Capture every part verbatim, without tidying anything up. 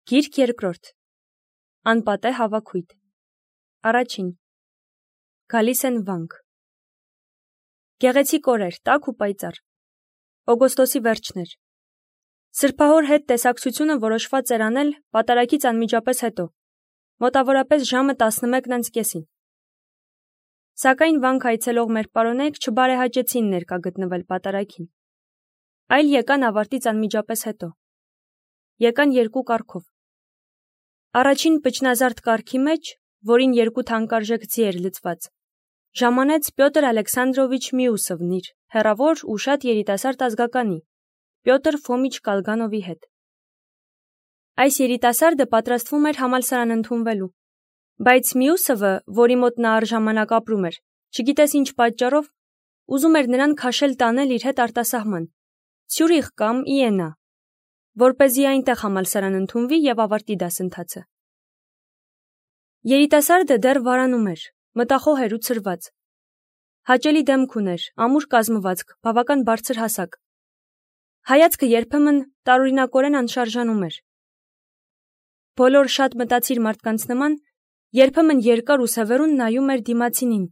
Գիրք երկրորդ։ Անպատե հավաքույթ։ Առաջին։ Գալիս են վանք։ Գեղեցիկ օրեր, տաք ու պայծառ։ Օգոստոսի վերջն էր։ Սրբահոր հետ տեսակցությունը որոշված էր անել պատարագից անմիջապես հետո, մոտավորապես ժամը տասնմեկն անց կեսին։ Սակայն վանք այցելող մեր պարոնայք չբարեհաճեցին ներկա գտնվել պատարագին, այլ եկան ավարտից անմիջապես հետո։ Եկան երկու կարգով։ Առաջին պճնազարդ կարգի մեջ, որին երկու թանկարժեք ձի էր լցված, ժամանեց Պյոտր Ալեքսանդրովիչ Միուսովն իր հեռավոր ու շատ երիտասարդ ազգականի, Պյոտր Ֆոմիչ Կալգանովի հետ։ Այս երիտասարդը պատրաստվում էր համալսարան ընդունվելու, բայց Միուսովը, որի մոտ նա առժամանակ ապրում էր, չգիտես ինչ պատճառով, ուզում էր նրան քաշել տանել իր հետ արտասահման, Ցյուրիխ կամ Իենա, որպեսզի այնտեղ համալսարան ընդունվի և ավարտի դասընթացը։ Երիտասարդը դեռ վարանում էր, մտախոհ էր ու ցրված։ Հաճելի դեմք ուներ, ամուր կազմվածք, բավական բարձր հասակ։ Հայացքը երբեմն տարօրինակորեն անշարժանում էր։ Բոլոր շատ մտածիր մարդկանց նման, երբեմն երկար ու սևեռուն նայում էր դիմացինին,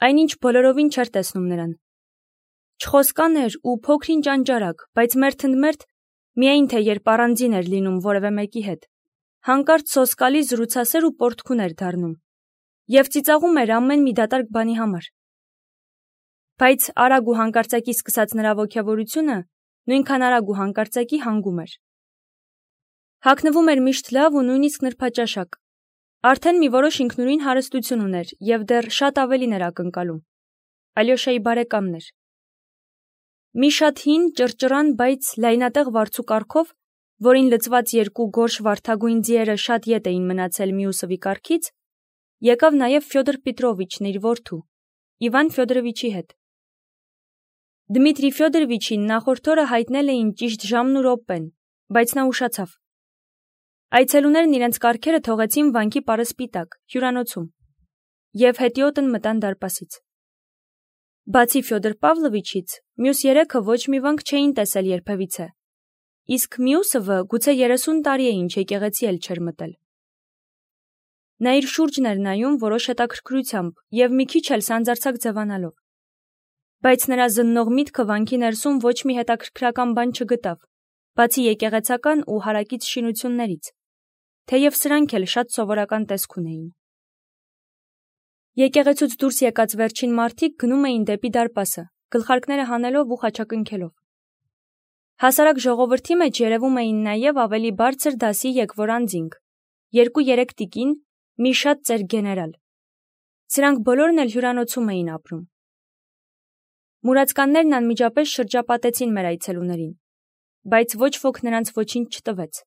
այնինչ բոլորովին չէր տեսնում նրան։ Չխոսկան էր ու փոքր-ինչ անճարակ, բայց մերթ ընդ մերթ, միայն թե երբ առանձին էր լինում որևէ մեկի հետ, հանկարծ սոսկալի զրուցասեր ու պոռթկուն էր դառնում և ծիծաղում էր ամեն մի դատարկ բանի համար։ Բայց արագ ու հանկարծակի սկսած նրա ոգևորությունը նույնքան արագ ու հանկարծակի հանգում էր։ Հագնվում էր միշտ լավ ու նույնիսկ նրբաճաշակ։ Արդեն մի որոշ ինքնուրույն հարստություն ուներ և դեռ շատ ավելին էր ակնկալում։ Ալյոշայի բարեկամն էր։ Մի շատ հին, ճռճռան, բայց լայնատեղ վարձու կառքով, որին լցված երկու գորշ վարդագույն ձիերը շատ ետ էին մնացել Միուսովի կառքից, եկավ նաև Ֆյոդոր Պետրովիչն իր որդու, Իվան Ֆյոդորովիչի հետ։ Դմիտրի Ֆյոդորովիչին նախորդ օրը հայտնել էին ճիշտ ժամն ու րոպեն, բայց նա ուշացավ։ Այցելուներն իրենց կառքերը թողեցին վանքի պարսպի տակ, հյուրանոցում, և հետիոտն մտան դարպասից։ Բացի Ֆյոդոր Պավլովիչից, մյուս երեքը ոչ մի վանք չէին տեսել երբևիցե, իսկ Միուսովը գուցե երեսուն տարի է ինչ եկեղեցի էլ չէր մտել։ Նա իր շուրջն էր նայում որոշ հետաքրքրությամբ և մի քիչ էլ սանձարձակ ձևանալով։ Բայց նրա զննող միտքը վանքի ներսում ոչ մի հետաքրքրական բան չգտավ, բացի եկեղեցական ու հարակից շինություններից, թեև սրանք էլ շատ սովորական տեսք ունեին։ Եկեղեցուց դուրս եկած վերջին մարդիկ գնում էին դեպի դարպասը, գլխարկները հանելով ու խաչակնքելով։ Հասարակ ժողովրդի մեջ երևում էին նաև ավելի բարձր դասի եկվոր անձինք, երկու-երեք տիկին, մի շատ ծեր գեներալ։ Սրանք բոլորն էլ հյուրանոցում էին ապրում։ Մուրացկաններն անմիջապես շրջապատեցին մեր այցելուներին, բայց ոչ ոք նրանց ոչինչ չտվեց։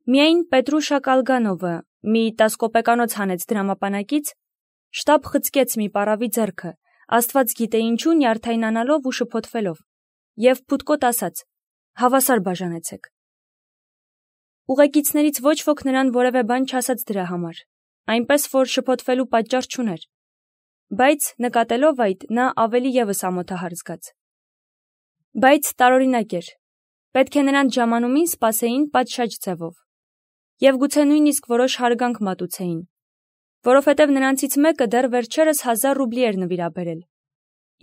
Միայն Պետրուշա Կալգանովը, մի տասկոպեկանոց հանեց դրամապանակից, շտապ խցկեց մի պառավի ձեռքը, աստված գիտե ինչու նյարդայնանալով ու շփոթվելով, և փուտկոտ ասաց. «Հավասար բաժանեցեք»։ Ուղեկիցներից ոչ ոք նրան որևէ բան չասաց դրա համար, այնպես որ շփոթվելու պատճառ չուներ, բայց նկատելով այդ, նա ավելի ևս ամոթահար զգաց։ Բայց տարօրինակ էր, պետք է նրանց ժամանումին սպասեին պատշաճ ձևով, և գուցե նույնիսկ որոշ հարգանք մատուցեին, որովհետև նրանցից մեկը դեռ վերջերս հազար ռուբլի էր նվիրաբերել,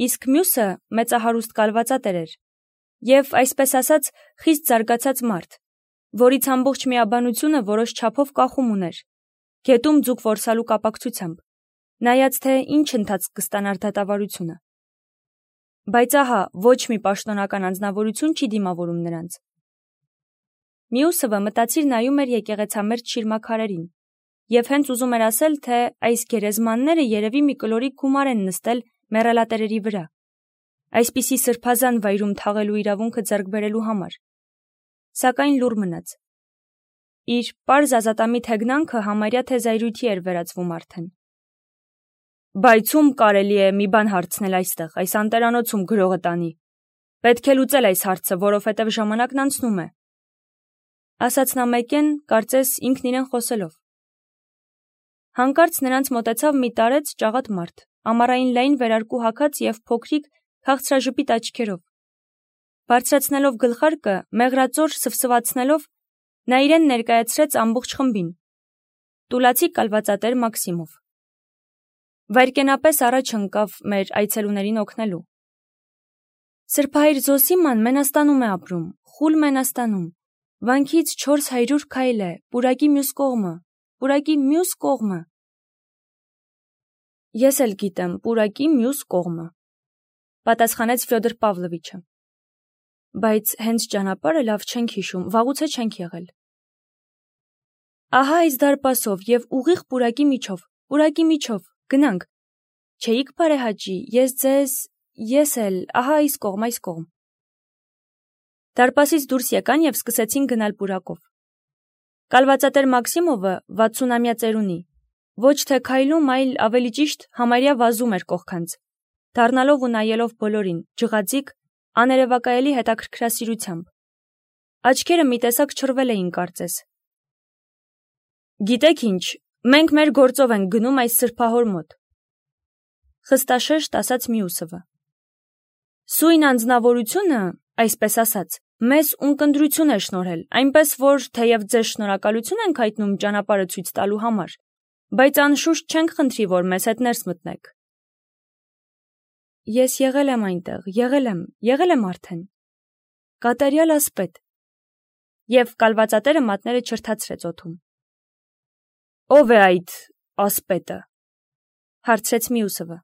իսկ մյուսը մեծահարուստ կալվածատեր էր և, այսպես ասած, խիստ զարգացած մարդ, որից ամբողջ միաբանությունը որոշ չափով կախում ուներ, գետում ձուկ որսալու կապակցությամբ, նայած թե ինչ ընթացք կստանար դատավարությունը։ Բայց ահա, ոչ մի պաշտոնական անձնավորություն չի դիմավորում նրանց։ Միուսովը մտածիր նայում էր եկեղեցամերձ շիրմաքարերին և հենց ուզում էր ասել, թե այս գերեզմանները երևի մի կլորիկ գումար են նստել մեռելատերերի վրա, այսպիսի սրբազան վայրում թաղելու իրավունքը ձեռք բերելու համար, սակայն լուռ մնաց։ Իր պարզ ազատամիտ հեգնանքը համարյա թե զայրույթի էր վերածվում արդեն։ Բայց ում կարելի է մի բան հարցնել այստեղ, այս անտերանոցում գրողը տանի։ Պետք է լուծել այս հարցը, որովհետև ժամանակն անցնում է, ասաց նա մեկեն, կարծես ինքն իրեն խոսելով։ Հանկարծ նրանց մոտեցավ մի տարեց ճաղատ մարդ, ամառային լայն վերարկու հագած և փոքրիկ քաղցրաժպիտ աչքերով։ Բարձրացնելով գլխարկը, մեղրածոր սվսվացնելով, Նա իրեն ներկայացրեց ամբողջ խմբին։ Տուլացի կալվածատեր Մաքսիմով։ Վայրկենապես առաջ ընկավ մեր այցելուներին օգնելու։ Սրբահայր Զոսիման Մենաստանում է ապրում, խուլ Մենաստանում։ Վանքից չորս հարյուր քայլ է, պուրակի մյուս կողմը, պուրակի մյուս կողմը։ Ես էլ գիտեմ, պուրակի մյուս կողմը, պատասխանեց Ֆյոդոր Պավլովիչը։ Բայց հենց ճանապարհը լավ չենք հիշում, վաղուց է չենք եղել։ Ահա այս դարպասով եւ ուղիղ պուրակի միջով, պուրակի միջով, գնանք։ Չէիք բարեհաճի, ես ձեզ, ես էլ, ահա այս կողմ, այս կողմ։ Դարպասից դուրս եկան եւ սկսեցին գնալ պուրակով։ Կալվածատեր Մաքսիմովը վաթսունամյա ծերունի, ոչ թե քայլում, այլ ավելի ճիշտ համարյա վազում էր կողքանց, դառնալով ու նայելով բոլորին, ջղաձիկ, աներևակայելի հետաքրքրասիրությամբ։ Աչքերը մի տեսակ չռվել էին կարծես։ Գիտեք ինչ, մենք մեր գործով ենք գնում այս սրբահոր մոտ, խստաշեշտ ասաց Մյուսովը։ Սույն անձնավորությունը, այսպես ասած, մեզ ունկնդրություն է շնորհել, այնպես որ թեև ձեզ շնորհակալություն ենք հայտնում ճանապարհը ցույց տալու համար, բայց անշուշտ չենք խնդրի, որ մեզ հետ ներս մտնեք։ Ես եղել եմ այնտեղ, եղել եմ, եղել եմ արդեն։ Կատարյալ ասպետ։ Եվ կալվածատերը մատները չրթացրեց օդում։ Ո՞վ է այդ ասպետը, հարցրեց Մյուսովը։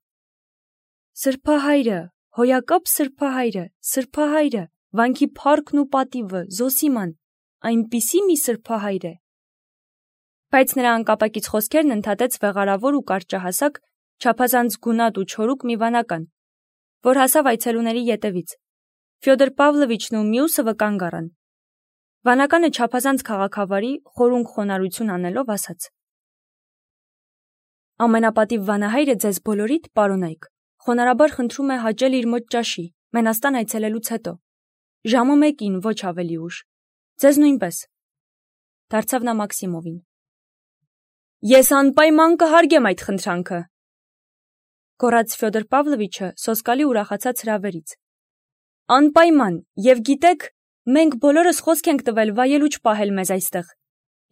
Սրբահայրը, հոյակապ սրբահայրը, սրբահայրը, վանքի փառքն ու պատիվը, Զոսիման, այնպիսի մի սրբահայր է։ Բայց նրա անկապակից խոսքերն ընդհատեց վեղարավոր ու կարճահասակ, չափազանց գունատ ու չորուկ մի վանական, որ հասավ այցելուների ետևից։ Ֆյոդոր Պավլովիչն ու Մյուսովը կանգ առան։ Վանականը չափազանց քաղաքավարի, խորունկ խոնարհություն անելով ասաց. Ամենապատիվ վանահայրը ձեզ բոլորիդ, պարոնայք, խոնարհաբար խնդրում է հաճել իր մոտ ճաշի, Մենաստան այցելելուց հետո։ Ժամը մեկին, ոչ ավելի ուշ։ Ձեզ նույնպես։ Դարձավ նա Մաքսիմովին։ Ես անպայման կհարգեմ այդ խնդրանքը, գոռաց Ֆյոդոր Պավլովիչը սոսկալի ուրախացած հրավերից։ Անպայման, եւ գիտեք, մենք բոլորս խոսք ենք տվել վայելուչ պահել մեզ այստեղ։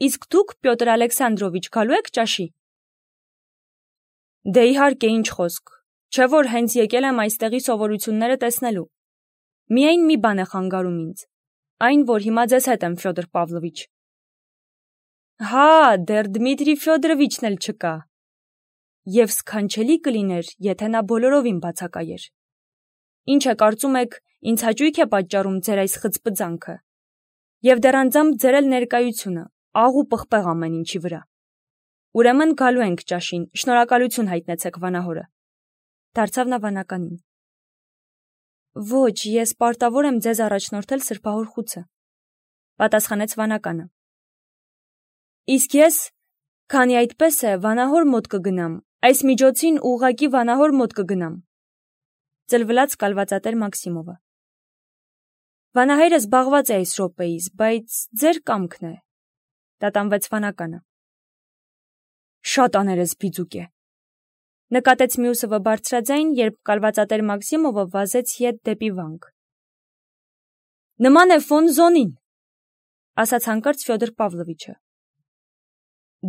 Իսկ դուք, Պյոտր Ալեքսանդրովիչ, գալու եք ճաշի։ Դե իհարկե, ինչ խոսք, չէ որ հենց եկել եմ այստեղի սովորությունները տեսնելու։ Միայն մի բան է խանգարում ինձ, այն, որ հիմա ձեզ հետ եմ, Ֆյոդոր Պավլովիչ։ Հա, դեռ Դմիտրի Ֆյոդորովիչն էլ չկա։ Եվ սքանչելի կլիներ, եթե նա բոլորովին բացակայեր։ Ինչ է կարծում եք, ինձ հաճույք է պատճառում ձեր այս խծպծանքը։ Եվ դեռ անձամբ ձեր էլ ներկայությունը, աղ ու պղպեղ ամեն ինչի վրա։ Ուրեմն գալու ենք ճաշին, շնորհակալություն հայտնեցեք վանահորը։ Դարձավ նա վանականին։ Ոչ, ես պարտավոր եմ ձեզ առաջնորդել սրբահոր խուցը, պատասխանեց վանականը։ Իսկ ես, քանի այդպես է, վանահոր մոտ կգնամ, այս միջոցին ուղղակի վանահոր մոտ կգնամ, ծլվլաց կալվածատեր Մաքսիմովը։ Վանահայրը զբաղված է այս րոպեիս, բայց ձեր կամքն է, տատանվեց վանականը։ Շատ աներեսբիծուկ է, նկատեց Մյուսովը բարձրաձայն, երբ կալվածատեր Մաքսիմովը վազեց ետ դեպի վանք։ Նման է ֆոն Զոնին, ասաց հանկարծ Ֆյոդոր Պավլովիչը։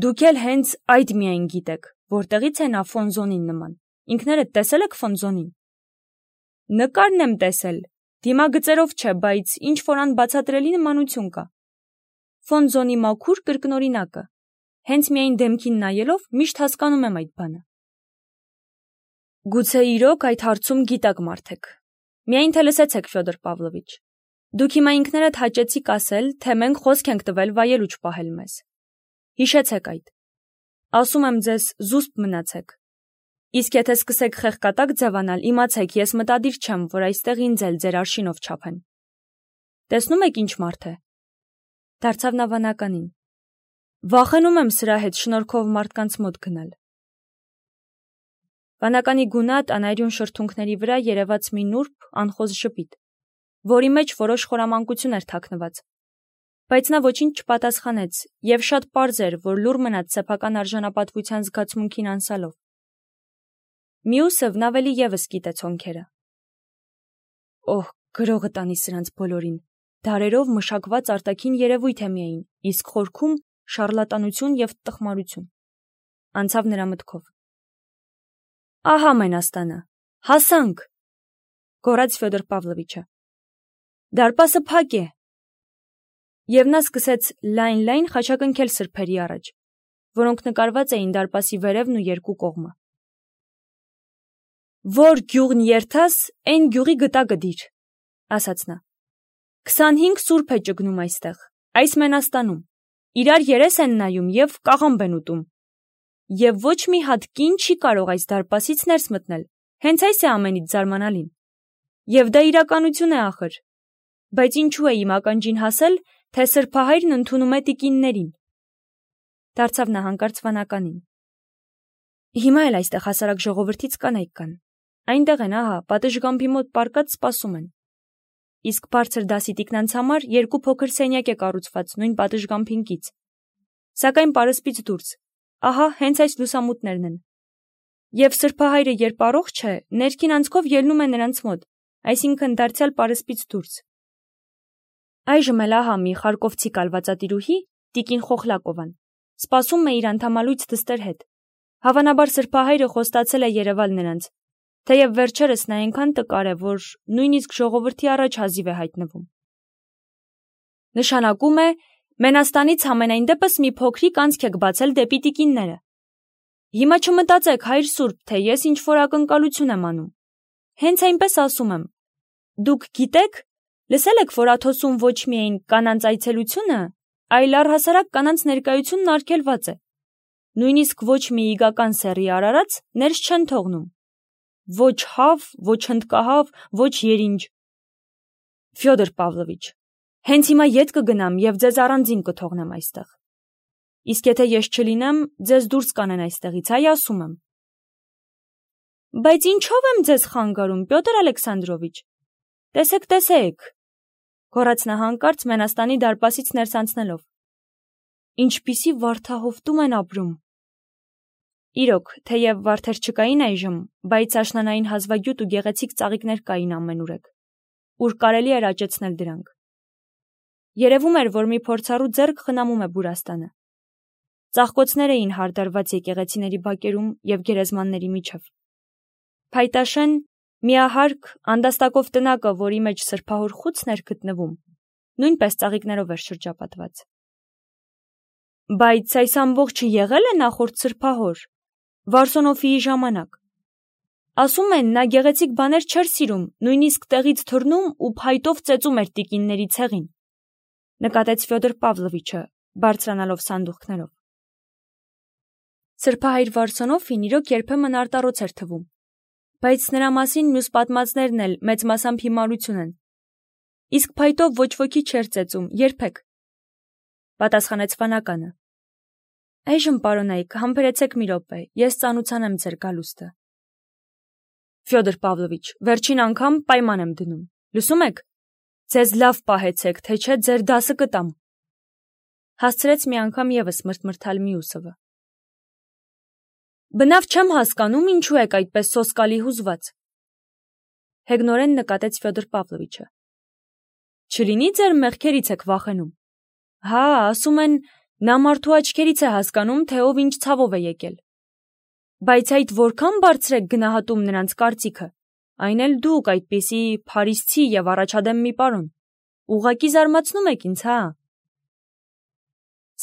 Դուք էլ հենց այդ միայն գիտեք, որտեղից է նա ֆոն Զոնին նման։ Ինքներդ տեսել եք ֆոն Զոնին։ Նկարն եմ տեսել, դիմագծերով չէ, բայց ինչ որ անբացատրելի նմանություն կա։ Ֆոն Զոնի մաքուր կրկնօրինակը։ Հենց միայն դեմքին նայելով միշտ հասկանում եմ այդ բանը։ Գուցե իրոք այդ հարցում գիտակ մարդեք։ Միայն թե լսեցեք, Ֆյոդոր Պավլովիչ։ Դուք հիմա ինքներդ հաճեցիք ասել, թե մենք խոսք ենք տվել վայելուչ պահել մեզ։ Հիշեցեք այդ։ Ասում եմ ձեզ, զուսպ մնացեք։ Իսկ եթե սկսեք խեղկատակ ձևանալ, իմացեք, ես մտադիր չեմ, որ այստեղ ինձ էլ ձեր արշինով չափեն։ Տեսնում եք ինչ մարդ է։ Դարձավ նա վանականին։ Վախենում եմ սրա հետ շնորհքով մարդկանց մոտ գնալ։ Վանականի գունատ անայրուն շրթունքների վրա երևաց մի նուրբ, անխոզ ժպիտ, որի մեջ որոշ խորամանկություն էր թաքնված, բայց նա ոչինչ չպատասխանեց եւ շատ պարզ էր, որ լուռ մնաց սեփական արժանապատվության զգացմունքին անսալով։ Մյուսովն ավելի եւս գիտեց հոնքերը։ Օհ, գրողը տանի սրանց բոլորին, դարերով մշակված արտաքին երևույթ է միայն, իսկ խորքում շարլատանություն և տխմարություն։ Անցավ նրա մտքով։ Ահա Մենաստանը, հասանք, գոռաց Ֆյոդոր Պավլովիչը։ Դարպասը փակ է։ Եվ նա սկսեց լայն-լայն խաչակնքել սրբերի առաջ, որոնք նկարված էին դարպասի վերևն ու երկու կողմը։ Որ գյուղն երթաս, այն գյուղի գտա գդիր, ասաց նա։ Քսանհինգ սուրբ է ճգնում այստեղ, այս Մենաստանում, իրար երես են նայում և կաղամբ են ուտում։ Եվ ոչ մի հատ կին չի կարող այս դարպասից ներս մտնել, հենց այս է ամենից զարմանալին։ Եվ դա իրականություն է ախր։ Բայց ինչու է իմ ականջին հասել, թե սրբահայրն ընդունում է տիկիններին։ Դարձավ նա հանկարծ վանականին։ Հիմա էլ այստեղ հասարակ ժողովրդից կանայք կան։ Այնտեղ են, ահա, պատշգամբի մոտ պառկած սպասում են։ Իսկ բարձր դասի տիկնանց համար երկու փոքր սենյակ է կառուցված նույն պատշգամբին կից։ Սակայն պարսպից դուրս, ահա հենց այս լուսամուտներն են։ Եվ սրբահայրը երբ առողջ է, ներքին անցքով ելնում է նրանց մոտ, այսինքն դարձյալ պարսպից դուրս։ Այժմ էլ ահա մի խարկովցի կալվածատիրուհի, տիկին Խոխլակովան, սպասում է իր անդամալույց դստեր հետ։ Հավանաբար սրբահայրը խոստացել է երևալ նրանց, թեև վերջերս նա այնքան տկար է, որ նույնիսկ ժողովրդի առաջ հազիվ է հայտնվում։ Նշանակում է, Մենաստանից համենայն դեպս մի փոքրիկ անցք եք բացել դեպի տիկինները։ Հիմա չմտածեք, հայր սուրբ, թե ես ինչ-որ ակնկալություն եմ անում։ Հենց այնպես ասում եմ։ Դուք գիտեք, լսել եք, որ Աթոսում ոչ միայն կանանց այցելությունը, այլ առհասարակ կանանց ներկայությունն արգելված է։ Նույնիսկ ոչ մի իգական սեռի արարած ներս չեն թողնում։ Ոչ հավ, ոչ հնդկահավ, ոչ երինջ։ Ֆյոդոր Պավլովիչ, հենց հիմա ետ կգնամ և ձեզ առանձին կթողնեմ այստեղ։ Իսկ եթե ես չլինեմ, ձեզ դուրս կանեն այստեղից, այ ասում եմ։ Բայց ինչով եմ ձեզ խանգարում, Պյոտր Ալեքսանդրովիչ։ Տեսեք, տեսեք, գոռաց նա հանկարծ Մենաստանի դարպասից ներս անցնելով։ Ինչպիսի վարդահովտում են ապրում։ Իրոք, թեև վարդեր չկային այժմ, բայց աշնանային հազվագյուտ ու գեղեցիկ ծաղիկներ կային ամենուրեք, ուր կարելի էր աճեցնել դրանք։ Երևում էր, որ մի փորձառու ձեռք խնամում է բուրաստանը։ Ծաղկոցներ էին հարդարված եկեղեցիների բակերում և գերեզմանների միջև։ Փայտաշեն, միահարկ, անդաստակով տնակը, որի մեջ սրբահոր խուցն էր գտնվում, նույնպես ծաղիկներով էր շրջապատված։ Բայց այս ամբողջը եղել է նախորդ սրբահոր, Վարսոնոֆիի ժամանակ։ Ասում են, նա գեղեցիկ բաներ չէր սիրում, նույնիսկ տեղից թռնում ու փայտով ծեծում էր տիկինների ցեղին, նկատեց Ֆյոդոր Պավլովիչը, բարձրանալով սանդուղքներով։ Սրբահայր Վարսոնոֆին իրոք երբեմն արտառոց էր թվում, բայց նրա մասին մյուս պատմածներն էլ մեծ մասամբ հիմարություն են։ Իսկ փայտով ոչ ոքի չէր ծեծում, երբեք, պատասխանեց վանականը։ Այժմ, պարոնայք, համբերեցեք մի րոպե, ես ծանուցանեմ ձեր գալուստը։ Ֆյոդոր Պավլովիչ, վերջին անգամ պայման եմ դնում, լսում եք, ձեզ լավ պահեցեք, թե չէ ձեր դասը կտամ, հասցրեց մի անգամ ևս մրթմրթալ Միուսովը։ Բնավ չեմ հասկանում, ինչու եք այդպես սոսկալի հուզված, հեգնորեն նկատեց Ֆյոդոր Պավլովիչը։ Չլինի ձեր մեղքերից եք վախենում։ Հա, ասում են, նա մարդու աչքերից է հասկանում, թե ով ինչ ցավով է եկել։ Բայց այդ որքան բարձր եք գնահատում նրանց կարծիքը, այն էլ դուք այդպիսի փարիսցի և առաջադեմ մի պարոն, ուղղակի զարմացնում եք ինձ, հա։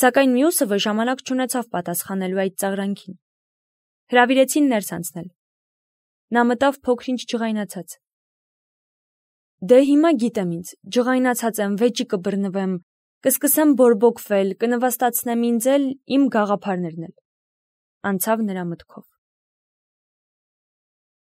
Սակայն Միուսովը ժամանակ չունեցավ պատասխանելու այդ ծաղրանքին։ Հրավիրեցին ներս անցնել։ Նա մտավ փոքր-ինչ ջղայնացած։ Դե հիմա գիտեմ ինձ, ջղայնացած եմ, վեճի կբռնվեմ, կսկսեմ բորբոքվել, կնվաստացնեմ ինձ էլ, իմ գաղափարներն էլ, անցավ նրա մտքով։